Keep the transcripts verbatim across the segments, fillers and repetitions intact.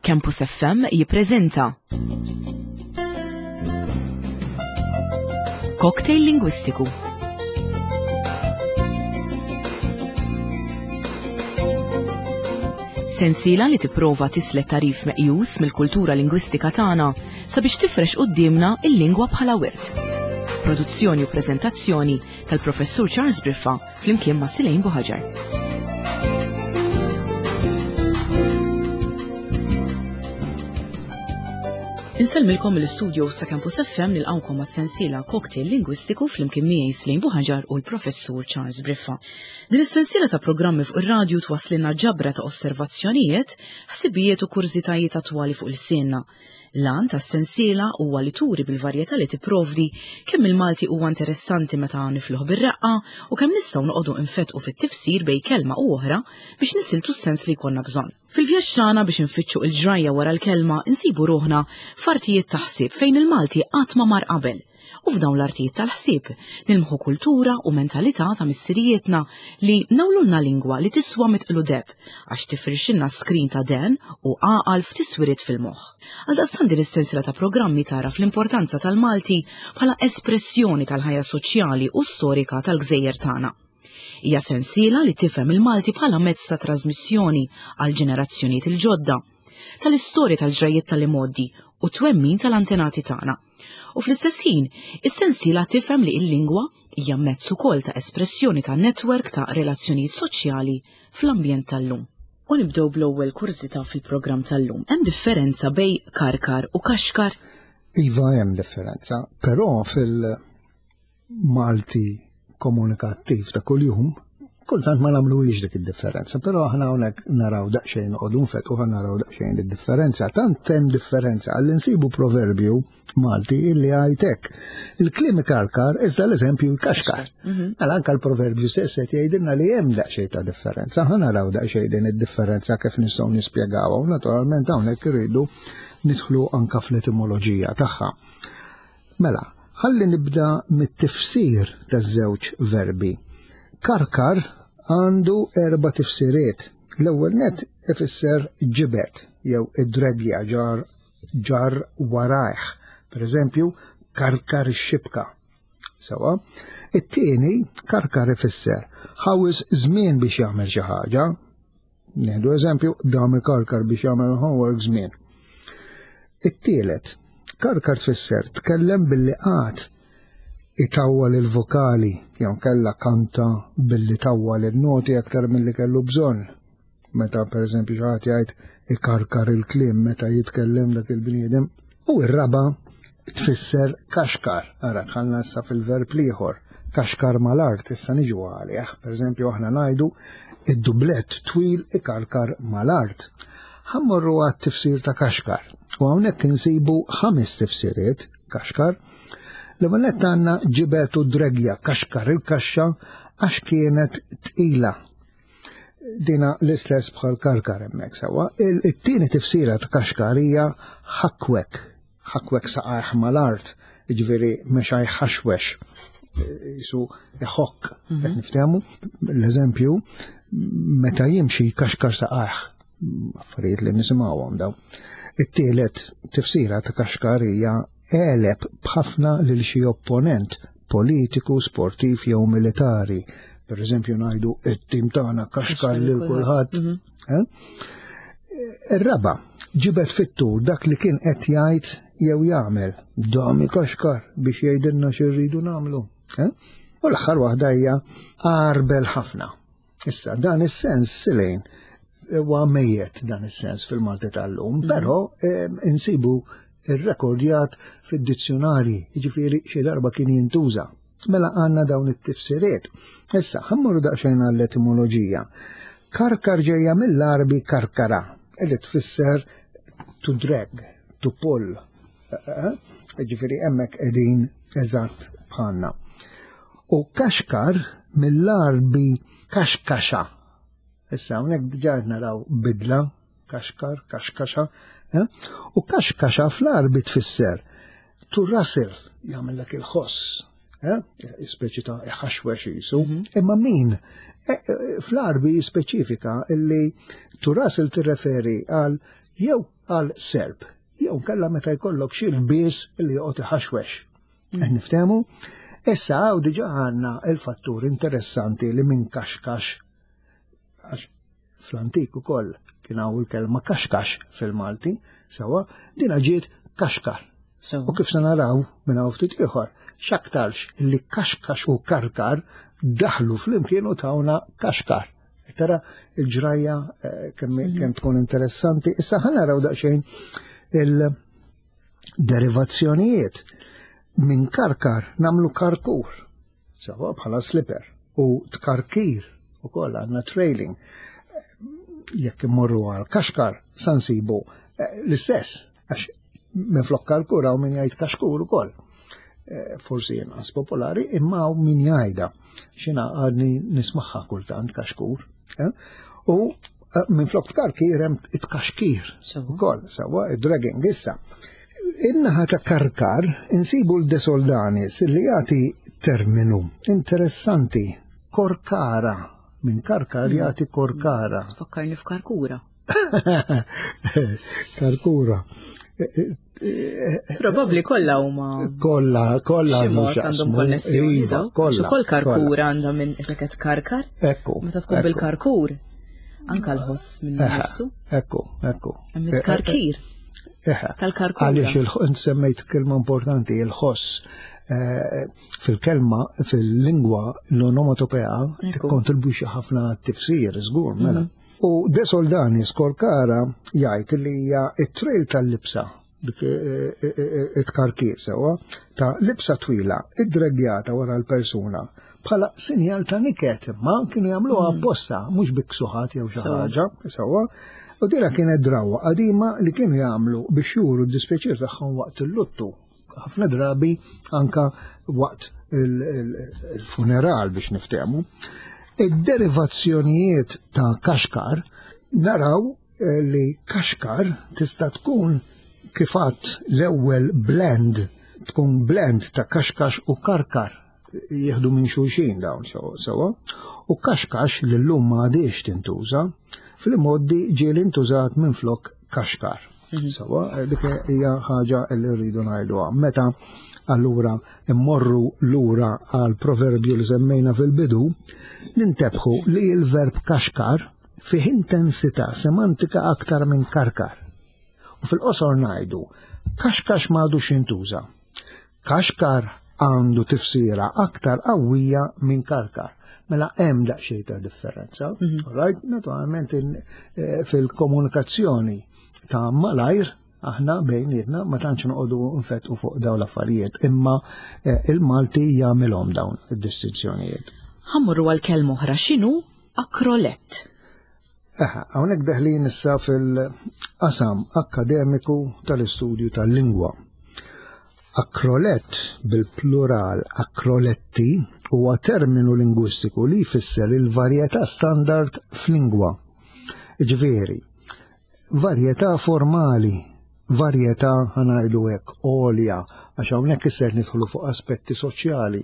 Campus F M jippreżenta Cocktail Lingwistiku. Sensiela li tipprova tislet tarif meqjus mill-kultura lingwistika tagħna sabiex tifrex quddiemna il-lingwa bħala wirt. Produzzjoni u preżentazzjoni tal-Professur Charles Briffa flimkien ma' Silejn Buħaġar. Insellmilkom mill-istudio sa' Campus F M nilqawkom mas-sensiela Cocktail Lingwistiku flimkien miegħi Silejn Buħaġar u l-Professur Charles Briffa. Din is-sensiela ta' programmi fuq ir-radju twasslilna ġabra ta' osservazzjonijiet, ħsibijiet u kurżitajiet attwali fuq il-sienna. L-għan tas-sensiela huwa li turi bil-varjetà li tipprovdi kemm il-Malti huwa interessanti meta nifluh bir-reqqa u kemm nistgħu noqogħdu nfetqu fit-tifsir bejn kelma u oħra biex nisiltu s-sens li jkollna bżonn. Fil-vjaġġ tagħna biex nfittxu il-ġrajja wara l-kelma insibu ruħna f'artijiet ta' ħsieb fejn il-Malti qatt ma mar qabel. U f'dawn l-artijiet tal-ħsieb nilmħu kultura u mentalità ta' missirijietna li nawlulna lingwa li tiswa mitqlu deb għax tifrixilna skrin ta' den u għaqal f'tiswiriet fil-moħħ. Għaldaqstant din is-sensiela ta' programmi tara fl-importanza tal-Malti bħala espressjoni tal-ħajja soċjali u storika tal-gżejjer tagħna. Hija sensiela li tifhem il-Malti bħala mezz ta' trasmissjoni għal ġenerazzjonijiet il-ġodda, tal-istorja tal-ġrajiet tal-imgħoddi u twemmin tal-antenati tagħna. U fl-istess ħin, is-sensiela tifhem li l-lingwa hija mezz ukoll ta' espressjoni ta' netwerk ta' relazzjonijiet soċjali fl-ambjent tal-lum. U nibdew bl-ewwel kurżità fil-programm tal-lum. Hemm differenza bejn karkar u kaxkar? Iva, hemm differenza, però fil-Malti komunikattiv ta' kuljum, kultant ma nagħmluhiex dik id-differenza, però aħna hawnhekk naraw daqsxejn noqogħdu nfetqu ħa naraw daqsxejn id-differenza. Tant hemm differenza għalli nsibu proverbju Malti illi għajtek. Il-kliem ikarkar iżda l-eżempju jkaxkar. Mhm. Mela anke l-proverbju stess qed jgħidilna li hemm daqsxejn ta' differenza. Ħa naraw daqsxejn din id-differenza kif nistgħu nispjegawha u naturalment hawnhekk irridu nidħlu anke fl-etimoloġija tagħha. Mela, ħalli nibda mit-tifsir taż-żewġ verbi. Karkar għandu erba' tifsiriet. L-ewwel net ifisser ġibed jew id-dregja ġar, ġar warajh. Per eżempju, karkar ix-xibka. Sewa. It-tieni, karkar ifisser ħawis żmien biex jagħmel xi ħaġa. Nieħdu eżempju, dam ikarkar biex jagħmel homework żmien. It-tielet, karkar tfisser tkellem billi qagħad itawwal il-vokali, jew kella kanta billi tawwal il-noti aktar milli kellu bżonn. Meta per eżempju xi ħadd jgħid ikarkar il-kliem meta jitkellem dak il-bniedem. U r-raba' tfisser kaxkar. Ara dħalna issa fil-verb l-ieħor, kaxkar mal-art, issa niġu għalih. Per eżempju aħna ngħidu id-dublett twil ikarkar mal-art. Ħammorru għat-tifsir ta' kaxkar. U hawnhekk insibu ħames tifsiriet kaxkar. L-ewwel nett għandna ġibet u dregja, kaxkar il-kaxxa għax kienet tqila. Dina l-istess bħal karkar hemmhekk sewwa. Il-tieni tifsira ta' kaxkar hija ħakwek, ħakwek saqajh mal-art, jiġifieri mexa jħaxwex, jisu iħokk, Mhm. qed niftehmu. L-eżempju, meta jimxi kaxkar saqajh, affarijiet li nisimgħuhom dawn. It-tielet tifsira ta' kaxkar hija għeleb b'ħafna lil xi opponent politiku, sportiv jew militari. Per eżempju ngħidu it-tim tagħna kaxkar lil kulħadd. Mhm. Eh? Ir-raba' ġibed fit-tul dak li kien qed jgħid jew jagħmel. Dami kaxkar biex jgħidilna xi rridu nagħmlu. Eh? U l-aħħar waħda hija għarbel ħafna. Issa dan is-sens Silejn huwa mejjet dan is-sens fil-Malti tal-lum, Mhm. però, eh, insibu irrekordjat fid-dizzjonari, jiġifieri xi darba kien jintuża. Mela għandna dawn it-tifsiriet. Issa, ħammorru daqsxejn għall-etimoloġija. Karkar ġejja mill-Arbi karkara, li tfisser to drag, to pull. Eh, eh, jiġifieri hemmhekk qegħdin eżatt bħalna. U kaxkar mill-Arbi kaxkaxa. Issa hawnhekk diġà qed naraw bidla, kaxkar, kaxkaxa, eh? U kaxkaxa fl-Arbi tfisser to rustle, jagħmel il-ħoss, eh? Speċi ta' iħaxwex jisu. Mhm. Imma min? Eh, eh, fl-Arbi speċifika illi to rustle tirreferi għal Jew għal serp, jew kella meta jkollok xi lbies li joqgħod iħaxwex. Qed niftehmu? Issa hawn diġà għandna il-fattur interessanti li minn kaxkax, għax fl-antik ukoll kien hawn il-kelma kaxkax fil-Malti, sewwa, dina ġiet kaxkar. U kif se naraw minn hawn ftit ieħor, x'aktarx li kaxkax u karkar daħlu flimkien u tawna kaxkar. Tara il-ġrajja kemm kemm tkun interessanti. Issa ħa naraw daqsxejn il-derivazzjonijiet. Minn karkar namlu karkur, sewwa bħala slipper, u tkarkir ukoll għandna trailing. Jekk immorru għal kaxkar sa nsibu l-istess, għax minn flok karkur hawn min jgħid kaxkur ukoll. Forsi inqas popolari, imma hawn min jgħidha. Xina għadni nismaħħa kultant kaxkur. U minn flok tkarkir hemm it-kaxkir ukoll, sewwa id-dragging issa. In-naħa ta' karkar insibu l-De Soldanis li jagħti terminu interessanti, korkara. Minn karkar jagħti korkara. Tfakkarni f'karkura. Karkura. Probabbli kollha huma Kollha, kollha xi mod għandhom għandhom x'jaqsmu. konnessjoni, Iva, daw. kollha, Ukoll karkura kollha. għandha minn iseket karkar. Ekku, Meta tkun ekku. bil-karkur, anka l-ħoss minn Eħe, nifsu. Ekku, ekku. Hemm it-karkir. Eħe. Tal-karkura. Għaliex il-ħ-, int semmejt kelma importanti, il-ħoss. Eh, fil-kelma, fil-lingwa, l-onomatopea Ekku. tikkontribwixxi ħafna tifsir, żgur, mela. Mhm. U De Soldanis korkara jgħid li hija it-trail tal-libsa, dik, eh, eh, eh, it-karkir sewwa, ta' libsa twila, id-dregjata wara l-persuna, bħala sinjal ta' niket, ma kienu jagħmluha Mhm. apposta, mhux biksuħat jew xi Sewwa. ħaġa, sewwa. U dira kienet drawa qadima li kienu jagħmlu biex juru d-dispjaċir tagħhom waqt il-luttu. Ħafna drabi anka waqt il-, il-, il-funeral biex niftehmu. Id-derivazzjonijiet ta' kaxkar naraw, eh, li kaxkar tista' tkun kifat l-ewwel blend, tkun blend ta' kaxkax u karkar, jieħdu minn xulxin dawn sewwa, u kaxkax li llum ma għadix tintuża, fil-modi ġieli intużat minn flok kaxkar. Mhm. Sewwa, dik hija ħaġa li rridu ngħiduha. Meta allura immorru lura għal proverbju li semmejna fil-bidu, nintebħu li l-verb kaxkar fih intensità semantika aktar minn karkar. U fil-qosor ngħidu, kaxkax m'għadux jintuża. Kaxkar għandu tifsira aktar qawwija minn karkar. Mela hemm daqsxejn ta' differenza. Mhm. All right? Naturalment in-, eh, fil-komunikazzjoni ta' malajr aħna bejnietna ma tantx noqogħdu nfettqu fuq dawn l-affarijiet, imma, eh, il-Malti jagħmilhom dawn id-distinzjonijiet. Ħammurru għal kelma oħra, x'inhu akrolett? Eħe, hawnhekk deħlin issa fil-qasam akkademiku tal-istudju tal-lingwa. Akrolett bil-plural akroletti huwa terminu lingwistiku li jfisser il-varjetà standard f'lingwa. Ġifieri, varjetà formali, varjetà ħanajdu hekk għolja, għax hawnhekk issa qed nidħlu fuq aspetti soċjali.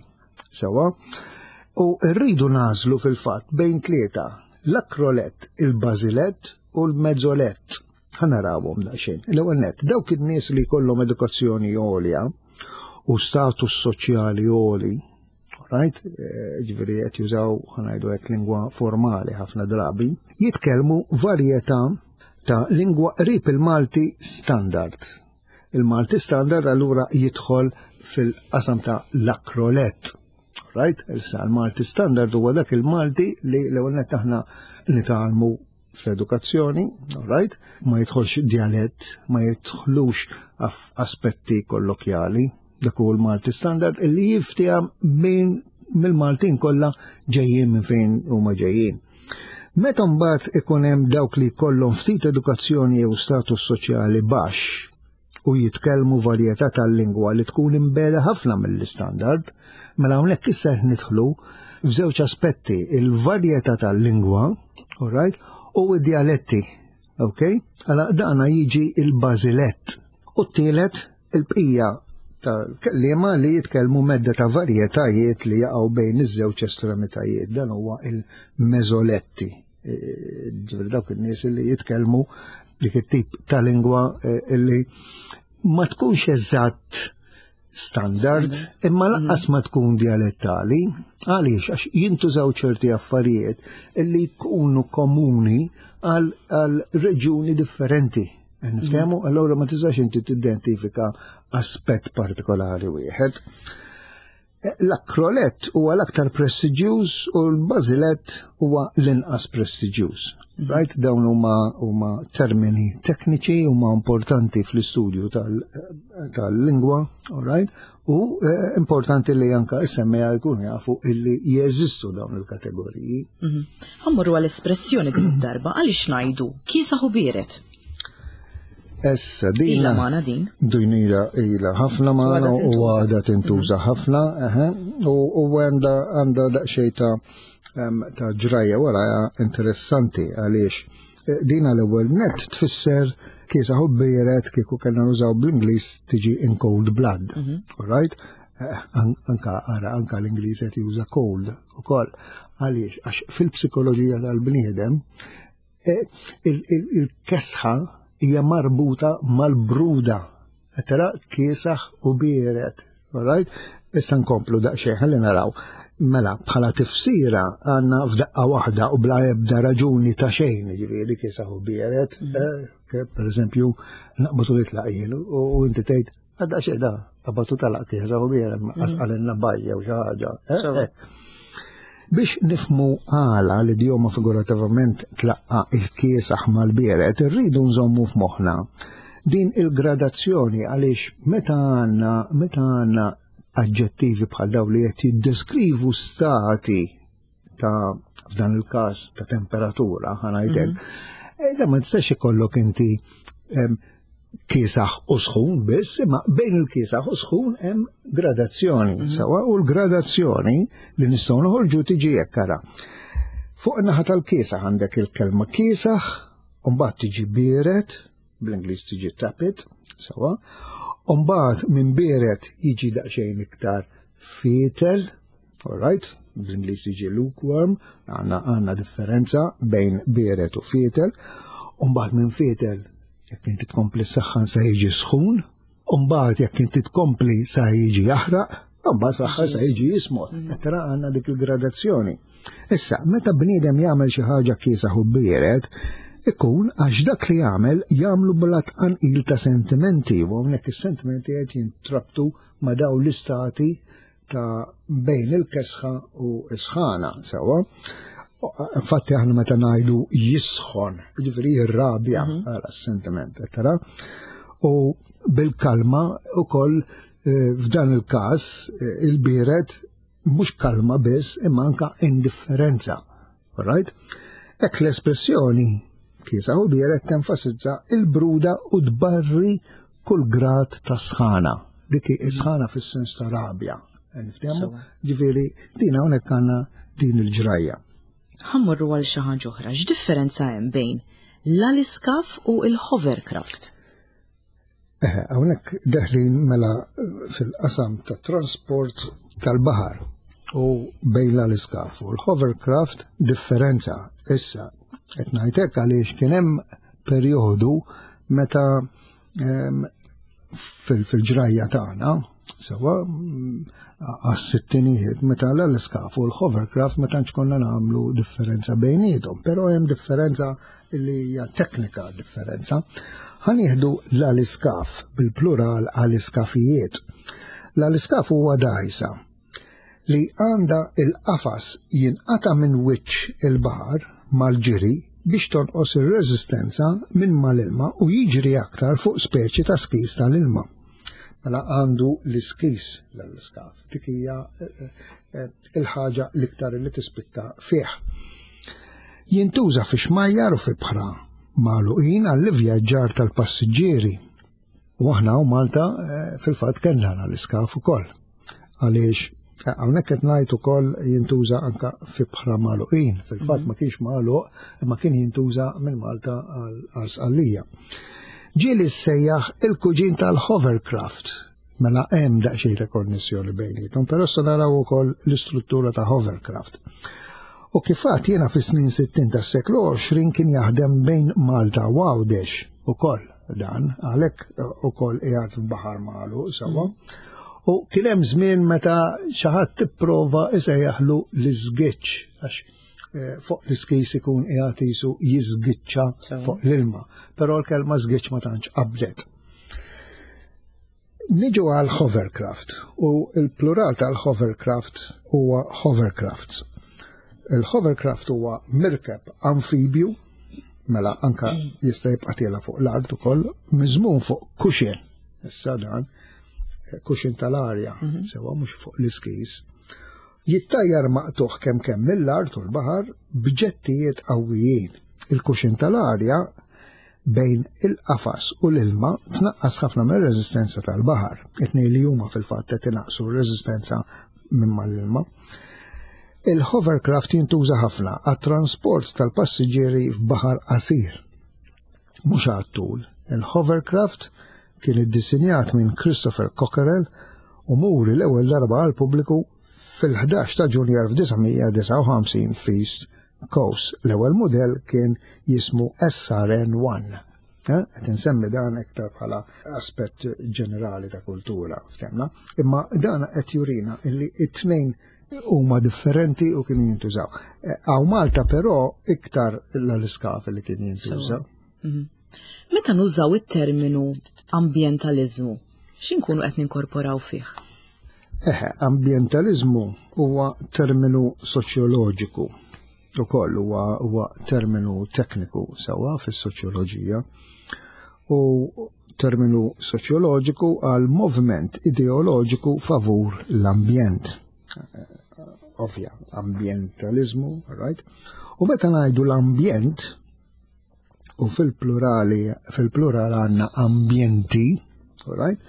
Sewwa? U rridu nażlu fil-fatt bejn tlieta, l-akrolett, il-bażilett u l-mezzolett. Ħa narawhom daqsxejn. L-ewwel nett, dawk in-nies li jkollhom edukazzjoni għolja u status soċjali għoli, right? Eh, ġifieri qed jużaw ħanajdu hekk lingwa formali ħafna drabi, jitkellmu varjetà ta' lingwa qrib il-Malti standard. Il-Malti standard allura jidħol fil-qasam ta' l-akrolett. Right? Issa l-Malti standard huwa dak il-Malti li l-ewwel nett aħna nitgħallmu fl-edukazzjoni, right? Ma jidħolx dialett, ma jidħlux af-, aspetti kollokjali, dak huwa l-Malti standard illi jiftihom minn mill-Maltin kollha ġejjin minn fejn huma ġejjin. Meta mbagħad ikun hemm dawk li jkollhom ftit edukazzjoni jew status soċjali baxx u jitkellmu varjetà tal-lingwa li tkun imbeda ħafna mill-istandard, mela hawnhekk issa qed nidħlu f'żewġ aspetti, il-varjetà tal-lingwa, all right, u d-dialetti, ok? Allora dana jiġi il-bażilett. U t-tielet il-bqija tal-kelliema li jitkellmu medda ta' varjetajiet li jaqgħu bejn iż-żewġ estremitajiet, dan huwa il-meżoletti. Ġifieri dawk in-nies li jitkellmu Dik it-tip ta' lingwa illi ma tkunx eżatt standard, imma lanqas ma tkun dialettali. Għaliex? Għax jintużaw ċerti affarijiet illi jkunu komuni għal reġjuni differenti. Niftehmu? Allura ma tistax inti tidentifika aspett partikolari wieħed. L-akrolett huwa l-aktar prestiġjuż u l-bażilett huwa l-inqas prestiġjuż. Right? Dawn huma huma termini tekniċi, huma importanti fl-istudju tal-lingwa, all right? U importanti li anka is-semmiegħa jkunu jafu illi jeżistu dawn il-kategoriji. Ħa mmorru għall-espressjoni din id-darba, għaliex ngħidu kiesaħ u biered? Issa, din Ila magħna din. Din ila ila ħafna magħna u għadha tintuża ħafna, u għandha għandha daqsxejn ta' ta' ġrajja wara interessanti għaliex dina l-ewwel net tfisser kiesaħ u biered, kieku kellna nużaw bl-Ingliż tiġi in cold blood. All right? Anka ara anka l-Ingliż qed juża cold ukoll. Għaliex? Għax fil-psikoloġija tal-bniedem il-kesħa hija marbuta mal-bruda. Tara kiesaħ u biered. All right? Issa nkomplu daqsxejn ħalli naraw. Mela, bħala tifsira għandna f'daqqa waħda u bla ebda raġuni ta' xejn, ġifieri kiesaħ u biered. Per eżempju, naqbatu jitlaq jien u inti tgħid għadda xejn da, qabatu talaq kiesaħ u biered, qasqalilna bajja u xi ħaġa. Biex nifmu għala l-idjoma figurativament tlaqqa il-kiesaħ mal-biered, irridu nżommu f'moħħna din il-gradazzjoni għaliex meta għandna meta għandna aġġettivi bħal daw li qed jiddeskrivu stati ta' f'dan il-każ ta' temperatura, ħa ngħidlek, da ma tistax ikollok inti kiesaħ u sħun biss, imma bejn il-kiesaħ u sħun hemm gradazzjoni, sewa, u l-gradazzjoni li nistgħu noħorġu tiġi hekk ara. Fuq in-naħa tal-kiesaħ għandek il-kelma kiesaħ, u mbagħad tiġi biered, bl-Ingliż tiġi tepid, sewa, u mbagħad minn biered jiġi daqsxejn iktar fietel, all right, bl-Ingliż tiġi lukewarm, għandna għandna differenza bejn biered u fietel, u mbagħad minn fietel jekk inti tkompli saħħan sa jiġi sħun, u mbagħad jekk inti tkompli sa jiġi jaħraq, u mbagħad saħħan sa jiġi jismot. Tara għandna dik il-gradazzjoni. Issa, meta bniedem jagħmel xi ħaġa kiesaħ u biered, ikun għax dak li jagħmel jagħmlu bla tqanqil ta' sentimenti, u hawnhekk is-sentimenti qed jintrabtu ma' dawn l-istati ta' bejn il-kesħa u s-sħana, sewwa. Infatti aħna meta ngħidu jisħon, jiġifieri jirrabja għala s-sentiment, tara. U bil-kalma ukoll f'dan il-każ il-biered mhux kalma biss imma anka indifferenza. All right? Hekk l-espressjoni kiesaħ u biered tenfasizza il-bruda u tbarri kull grad ta' sħana. Dik sħana fis-sens ta' rabja. Niftehmu? Ġifieri din hawnhekk għandna din il-ġrajja. Ħa mmorru għal xi ħaġa oħra, x'differenza hemm bejn l-aliskaf u l-hovercraft? Eħe, hawnhekk deħlin mela fil-qasam ta' trasport tal-baħar u bejn l-aliskaf u l-hovercraft differenza. Issa, qed ngħidlek għaliex kien hemm perjodu meta fil-ġrajja tagħna, sewa għas-sittinijiet, meta l-aliskaf u l-hovercraft ma tantx konna nagħmlu differenza bejniethom, però hemm differenza li hija teknika differenza. Ħa nieħdu l-aliskaf bil-plural aliskafijiet. L-aliskaf huwa dgħajsa li għandha il-qafas jinqata' minn wiċċ il-baħar mal-ġiri biex tonqos ir-reżistenza minn mal-ilma u jiġri aktar fuq speċi ta' skis tal-ilma. Mela għandu l-iskis l-iskaf. Dik hija il-ħaġa l-iktar li tispikka fih. Jintuża fi xmajjar u fi bħra magħluqin għall-ivvjaġġar tal-passiġġieri. U aħna u Malta fil-fatt kellna l-iskaf ukoll. Għaliex hawnhekk qed ngħid ukoll jintuża anka fi bħra magħluqin. Fil-fatt ma kienx magħluq imma kien jintuża minn Malta għal Sqallija. Ġieli ssejjaħ il-kuġin tal-hovercraft. Mela hemm daqsxejn ta' konnessjoni bejniethom, però se naraw ukoll l-istruttura ta' hovercraft. U kif għedt jiena fis-snin sittin tas-seklu għoxrin kien jaħdem bejn Malta u Għawdex ukoll dan, għalhekk ukoll qiegħed f'baħar magħluq sewwa. U kien hemm żmien meta xi ħadd tipprova isejjaħlu l-iżgiċċ, għax eh, fuq l-iskis ikun qiegħed jisu jiżgiċċa fuq l-ilma, però l-kelma żgiċċ ma tantx qabdet. Niġu għal hovercraft, u il-plural tal-hovercraft huwa hovercrafts. Il-hovercraft huwa mirkeb amfibju, mela anka jista' jibqa' tiela' fuq l-art ukoll, miżmum fuq cushion. Issa dan cushion tal-arja, sewwa, mhux fuq l-iskis. Jittajjar maqtuħ kemm kemm mill-art u l-baħar b'ġettijiet qawwijin. Il-cushion tal-arja bejn il-qafas u l-ilma tnaqqas ħafna mir-reżistenza tal-baħar. It-tnejn li huma fil-fatt qed inaqqsu r-reżistenza minn mal-ilma. Il-hovercraft jintuża ħafna għat-trasport tal-passiġġieri f'baħar qasir. Mhux għat-tul. Il-hovercraft kien iddisinjat minn Christopher Cockerell u muri l-ewwel darba għall-pubbliku fil-ħdax ta' Ġunju elf disa' mija disgħa u ħamsin f'East Coast. L-ewwel modell kien jismu S R N wieħed. Qed insemmi dan iktar bħala aspett ġenerali ta' kultura, ftemna. Imma dan qed jurina illi it-tnejn huma differenti u kienu jintużaw. Hawn Malta però iktar l-iskaf li kien jintużaw. Mhm. Meta nużaw it-terminu ambientalizmu, x'inkunu qed ninkorporaw fih? Eħe, ambientalizmu huwa terminu soċjoloġiku. Ukoll huwa huwa terminu tekniku sewwa fis-soċjoloġija. U terminu soċjoloġiku għal moviment ideoloġiku favur l-ambjent. Ovvja, ambientalizmu, right? U meta ngħidu l-ambjent, u fil-plurali, fil-plural għandna ambjenti, right?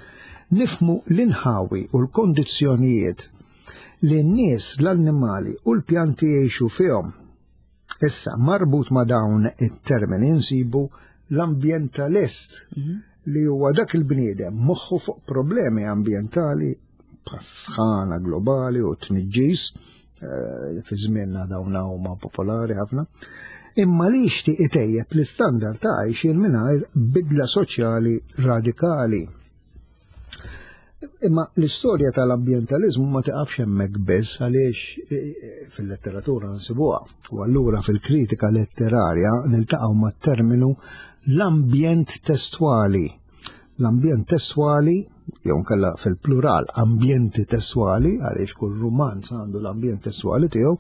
Nifhmu l-inħawi u l-kondizzjonijiet li n-nies, l-annimali u l-pjanti jgħixu fihom. Issa, marbut ma' dawn it-termini nsibu l-ambientalist, li huwa dak il-bniedem moħħu fuq problemi ambientali bħas-sħana globali u tniġġis, eh, fi żmienna dawn huma popolari ħafna, imma li jixtieq itejjeb l-istandard ta' għajxien mingħajr bidla soċjali radikali. Imma l-istorja tal-ambientalizmu ma tiqafx hemmhekk biss, għaliex eh, eh, fil-letteratura nsibuha. U allura fil-kritika letterarja niltaqgħu mat-terminu l-ambjent testwali. L-ambjent testwali, jew nkella fil-plural ambjenti testwali, għaliex kull rumanz għandu l-ambjent testwali tiegħu,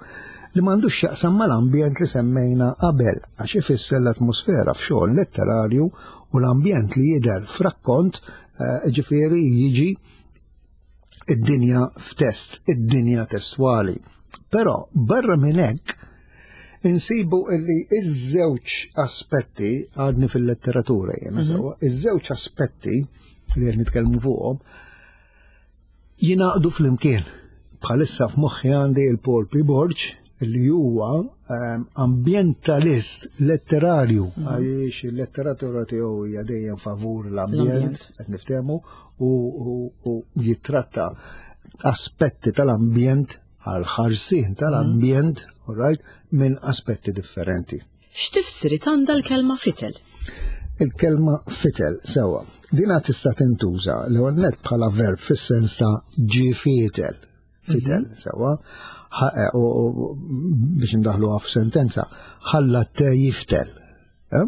li m'għandux x'jaqsam mal-ambjent li semmejna qabel, għax ifisser l-atmosfera f'xogħol letterarju u l-ambjent li jidher f'rakkont, eh, ġifieri jiġi id-dinja f'test, id-dinja testwali. Però barra minn hekk insibu illi iż-żewġ aspetti, għadni fil-letteratura jena mhm. sewwa, iż-żewġ aspetti li qed nitkellmu fuqhom jingħaqdu flimkien. Bħalissa f'moħħi għandi il-Paul P. Borg, li huwa ehm, ambientalist letterarju, mhm. għaliex il-letteratura tiegħu hija dejjem favur l-ambjent, qed niftehmu, u jitratta aspetti tal-ambjent għal ħarsien tal-ambjent, all right, minn aspetti differenti. X'tifsiriet għandha l-kelma fitel? Il-kelma fitel, sewwa. Dina tista' tintuża l-ewwel net bħala verb fis-sens ta' ġi fitel. Fitel, mhm. sewwa. Eh, u biex ndaħluha f'sentenza, ħalla te jiftel. Eh?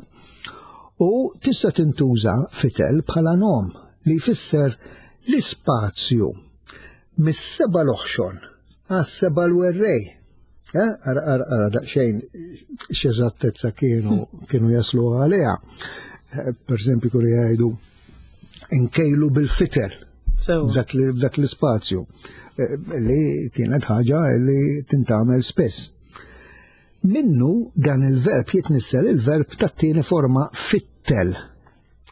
U tista' tintuża fitel bħala nom li jfisser l-ispazju mis-seba' l-oħxon għas-seba' l-werrej. Eh, ara, ara, ara daqsxejn x'eżattezza kienu kienu jaslu għaliha. Eh, per eżempju, kienu jgħidu nkejlu bil-fitel dak l-ispazju, eh, li kienet ħaġa li tintgħamel spess. Minnu dan il-verb jitnissel il-verb tat-tieni forma fittel,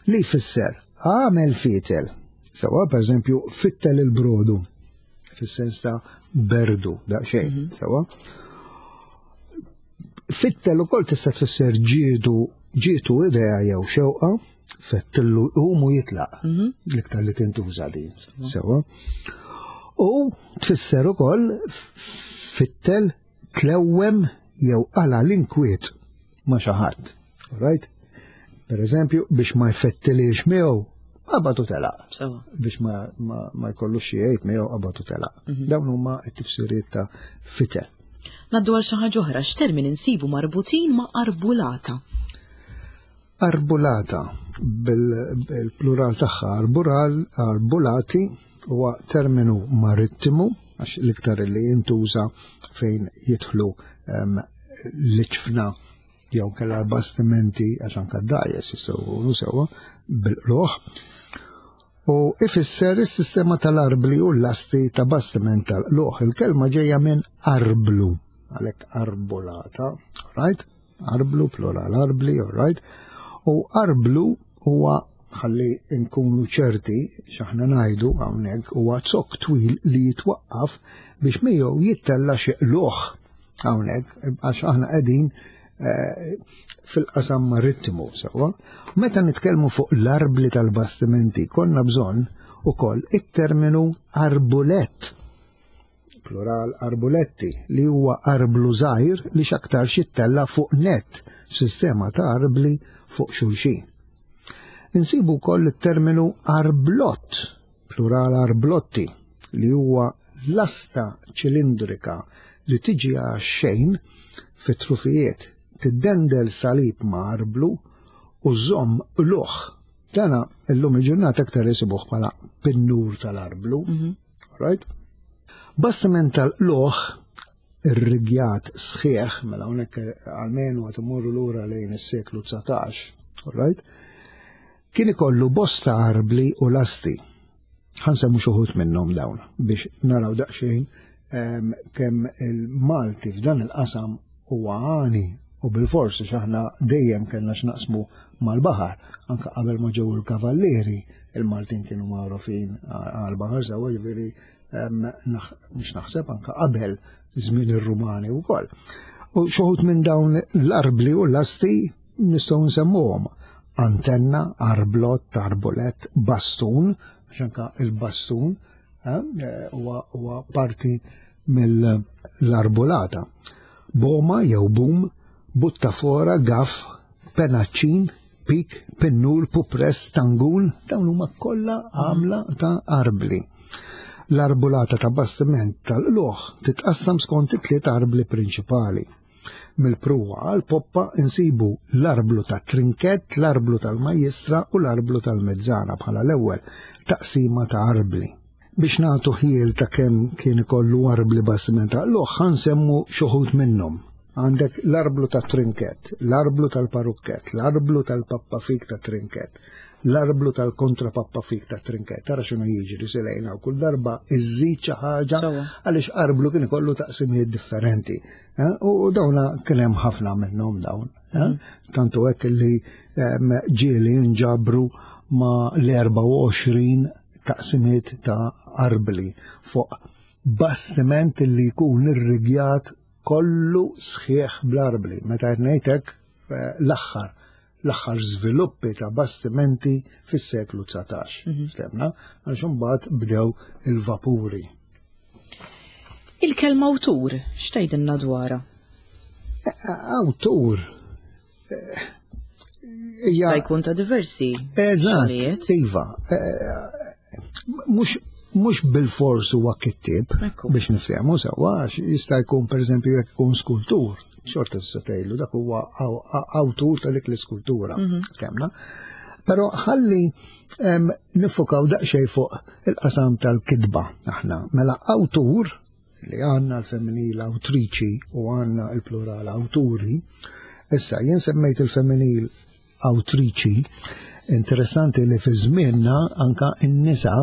li jfisser għamel fitel. Sewwa, per eżempju, fittel il-brodu, fis-sens ta' berdu, daqsxejn, mm -hmm. sewwa. Fittel ukoll tista' tfisser ġietu ġietu idea jew xewqa, fettillu umu jitlaq, mm -hmm. l-iktar li tintuża din, sewwa. U tfisser ukoll fittel tlewwem jew qala l-inkwiet ma' xi ħadd. Right? Per eżempju, biex ma jfettilix miegħu, qabad u telaq. Sewa. Biex ma, ma, ma jkollux xi jgħid miegħu, qabad u telaq. Dawn huma t-tifsiriet ta' fitel. Naddu għal xi ħaġa oħra, x'termini nsibu marbutin ma' arbulata? Arbulata, bil-plural tagħha arbural, arbulati huwa terminu marittimu, għax l-iktar li jintuża fejn jidħlu em, l-iġfna jew kella l-bastimenti, għax anka d-dgħajjes jistgħu jkunu sewwa bil-qlugħ. U ifisser is-sistema tal-arbli u l-lasti ta' bastiment tal-qlugħ. Il-kelma ġejja minn arblu, għalhekk arbulata, right? Arblu, plural arbli, all right? U arblu huwa, ħalli nkunu ċerti x'aħna ngħidu hawnhekk, huwa zokk twil li jitwaqqaf biex miegħu jittella xi qlugħ hawnhekk, għax aħna qegħdin eh, fil-qasam marittimu sewwa. Meta nitkellmu fuq l-arbli tal-bastimenti konna bżonn ukoll it-terminu arbulett, plural arbuletti, li huwa arblu żgħir li x'aktar jittella fuq net, sistema ta' arbli fuq xulxin. Insibu wkoll it-terminu arblott, plural arblotti, li huwa lasta ċilindrika li tiġi għax-xejn fit-trufijiet, tiddendel salib ma' arblu u żomm qlugħ. Dana illum il-ġurnata aktar jisibuh bħala pinnur tal-arblu. Right? Bastiment tal-qlugħ irrigjat sħiħ, mela hawnhekk almenu qed imorru lura lejn is-seklu dsatax, right? Kien ikollu bosta arbli u lasti. Ħa nsemmu xi wħud minnhom dawn biex naraw daqsxejn em, kemm il-Malti f'dan il-qasam huwa għani, u bil-forsi x'aħna dejjem kellna x'naqsmu mal-baħar, anka qabel ma ġew il-kavallieri, il-Maltin kienu magħrufin għal-baħar sewwa, ġifieri em, naħ- mhux naħseb anka qabel żmien ir-Rumani wkoll. U xi wħud minn dawn l-arbli u l-lasti nistgħu nsemmuhom: antenna, arblott, arbulet, bastun, għax anka il-bastun eh, huwa huwa parti mill-arbulata. Boma jew bum, buttafora, gaf, penaċċin, pik, pinnur, pupress, tangun, dawn huma kollha għamla ta' arbli. L-arbulata ta' bastiment tal-qlugħ titqassam skont it-tliet arbli prinċipali. Mill-pruwa għal poppa insibu l-arblu ta' trinket, l-arblu tal-majjistra u l-arblu tal-mezzana bħala l-ewwel taqsima ta' arbli. Biex nagħtu ħjiel ta' kemm kien ikollu arbli bastiment tal-qlugħ, ħa nsemmu xi wħud minnhom. Għandek l-arblu ta' trinket, l-arblu tal-parukket, l-arblu tal-pappafik ta' trinket, l-arblu tal-kontrapappafik ta' trinket. Tara x'inhu jiġri silejna u kull darba iżżid xi ħaġa Sewwa. għaliex arblu kien ikollu taqsimijiet differenti. Eh, U dawna kien hemm ħafna minnhom dawn. eh. Tantu hekk li em, ġieli nġabru ma l-erbgħa u għoxrin taqsimiet ta' arbli fuq bastiment li jkun irrigjat kollu sħiħ bl-arbli. Meta qed ngħidlek eh, l-aħħar l-aħħar żviluppi ta' bastimenti fis-seklu dsatax. Ftemna, għax imbagħad bdew il-vapuri. Il-kelma awtur, x'tgħidilna dwarha? Awtur. eh, hija- Jista' jkun ta' diversi Eżatt, xogħlijiet. iva. Eh, Mhux mhux bil-fors huwa kittib Ekku. biex niftehmu sewwa, għax jista' jkun, pereżempju, jekk ikun skultur, xorta tista' tgħidlu dak huwa aw- aw- awtur ta' dik l-iskultura. Ftemna. Però ħalli em, nifokaw daqsxejn fuq il-qasam tal-kitba aħna. Mela awtur, li għandna l-femminil awtriċi u għandna il-plural awturi, issa jien semmejt il-femminil awtriċi, interessanti li fi żmienna anka n-nisa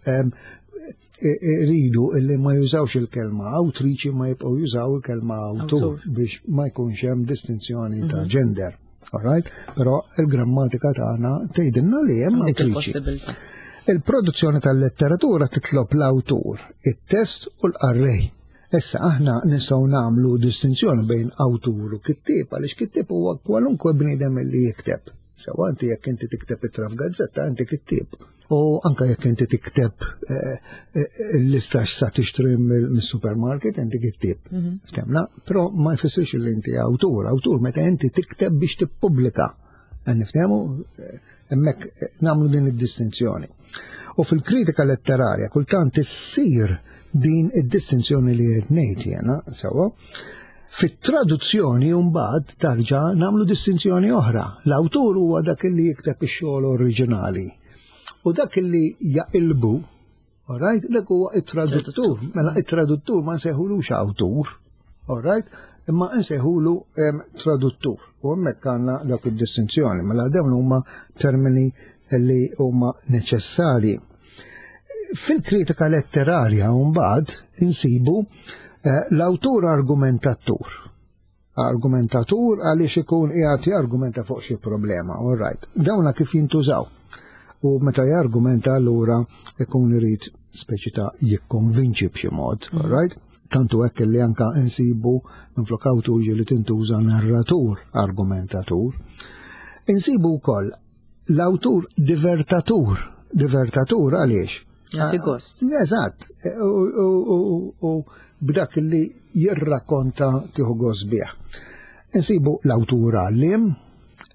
em, i- iridu illi ma jużawx il-kelma awtriċi, ma jibqgħu jużaw il-kelma awtur Awtur. biex ma jkunx hemm distinzjoni ta' gender. All right? Però il-grammatika tagħna tgħidilna li hemm Dik awtriċi. il-possibilità. Il-produzzjoni tal-letteratura titlob l-awtur, it-test u l-qarrej. Issa aħna nistgħu nagħmlu distinzjoni bejn awtur u kittieb, għaliex kittieb huwa kwalunkwe bniedem li jikteb. Sewa, inti jekk inti tikteb ittra f'gazzetta, inti kittieb. U anka jekk inti tikteb eh, eh, il-lista x'sa tixtri mill-supermarket, inti kittib. Mhm. Ftemna, però ma jfissirx li inti awtur. Awtur meta inti tikteb biex tippubblika. Niftehmu, eh, hemmhekk nagħmlu din id-distinzjoni. U fil-kritika letterarja kultant issir din id-distinzjoni li qed ngħid jiena, sewwa. Fit-traduzzjoni mbagħad tarġa' nagħmlu distinzjoni oħra. L-awtur huwa dak li jikteb ix-xogħol oriġinali. U dak li jaqilbu, alright, dak huwa it-traduttur. Mela it-traduttur ma nsejħulux awtur, alright, imma nsejħulu traduttur. U hemmhekk għandna dak id-distinzjoni. Mela dawn huma termini li huma neċessarji. Fil-kritika letterarja mbagħad insibu eh, l-awtur argumentatur. Argumentatur għaliex ikun qiegħed jargumenta fuq xi problema, all right. Dawna kif jintużaw. U meta jargumenta allura ikun irid speċi ta' jikkonvinċi b'xi mod, all right? Tantu hekk li anka insibu minflok awtur ġieli tintuża narratur, argumentatur. Insibu wkoll l-awtur divertatur. Divertatur għaliex? Jagħti gost. Eżatt. U b'dak li jirrakkonta tieħu gost bih. Insibu l-awtur għallim,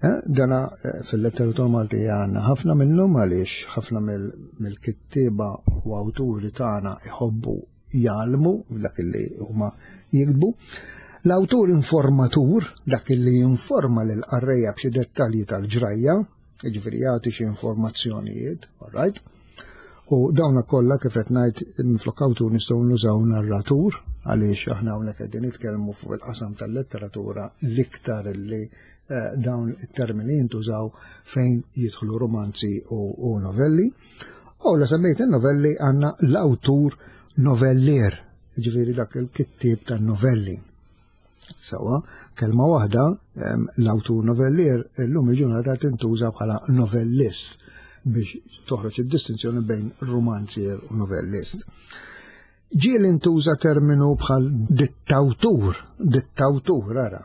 eh, dana eh, fil-letteratura Maltija għandna ħafna minnhom għaliex ħafna mill-kittieba u awturi tagħna iħobbu jgħallmu dak li huma jiktbu. L-awtur informatur, dak li jinforma lil qarrejja b'xi dettalji tal-ġrajja, jiġifieri jagħti xi informazzjonijiet, all right? U dawna kollha kif qed ngħid minflok awtur nistgħu nużaw narratur għaliex aħna hawnhekk qegħdin nitkellmu fuq il-qasam tal-letteratura l-iktar li eh, dawn it-termini jintużaw fejn jidħlu romanzi u, u novelli. U la semmejt il-novelli għandna l-awtur novellier, ġifieri dak il-kittieb tan-novelli. Sawa, kelma waħda, l-awtur novellier illum il-ġurnata tintuża bħala novellist biex toħroġ id-distinzjoni bejn romanzier u novellist. Ġieli intuża terminu bħal dittawtur, dittawtur, ara.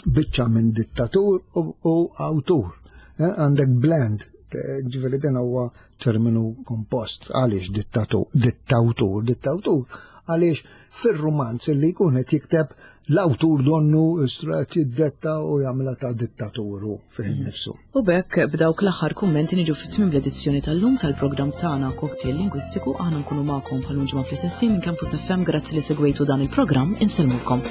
Biċċa minn dittatur u, u awtur. Eh, għandek blend, eh, ġifieri din huwa terminu kompost. Għaliex dittatu, dittawtur, dittawtur, għaliex fir-romanz li jkun qed jikteb l-awtur donnu strat jiddetta u jagħmilha ta' dittaturu fih innifsu. U b'hekk b'dawk l-aħħar kummenti niġu fit-tmiem l-edizzjoni tal-lum tal-programm tagħna Cocktail Lingwistiku. Aħna nkunu magħkom bħal ġimgħa fl-istess minn Campus F M. Grazzi li segwejtu dan il-programm, insellmulkom.